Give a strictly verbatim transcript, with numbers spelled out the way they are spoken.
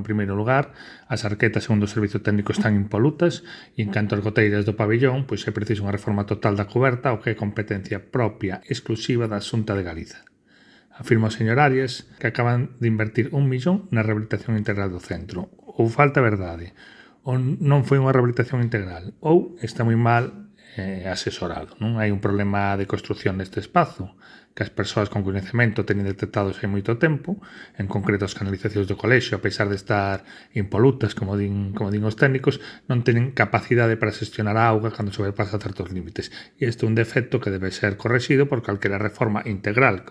En primeiro lugar, as arquetas segundo o servizo técnico están impolutas e en canto ás goteiras do pabillón, pois é preciso unha reforma total da cuberta o que é competencia propia exclusiva da Xunta de Galiza. Afirma o señor Arias que acaban de invertir un millón na rehabilitación integral do centro. Ou falta verdade, ou non foi unha rehabilitación integral, ou está moi mal eh, asesorado. Non hai un problema de construcción neste espazo que as persoas con coñecemento teñen detectados hai moito tempo, en concreto as canalizacións do colexio, a pesar de estar impolutas, como din, como din os técnicos, non teñen capacidade para xestionar a auga cando sobrepasa certos límites. E isto é un defecto que debe ser correxido por calquera reforma integral,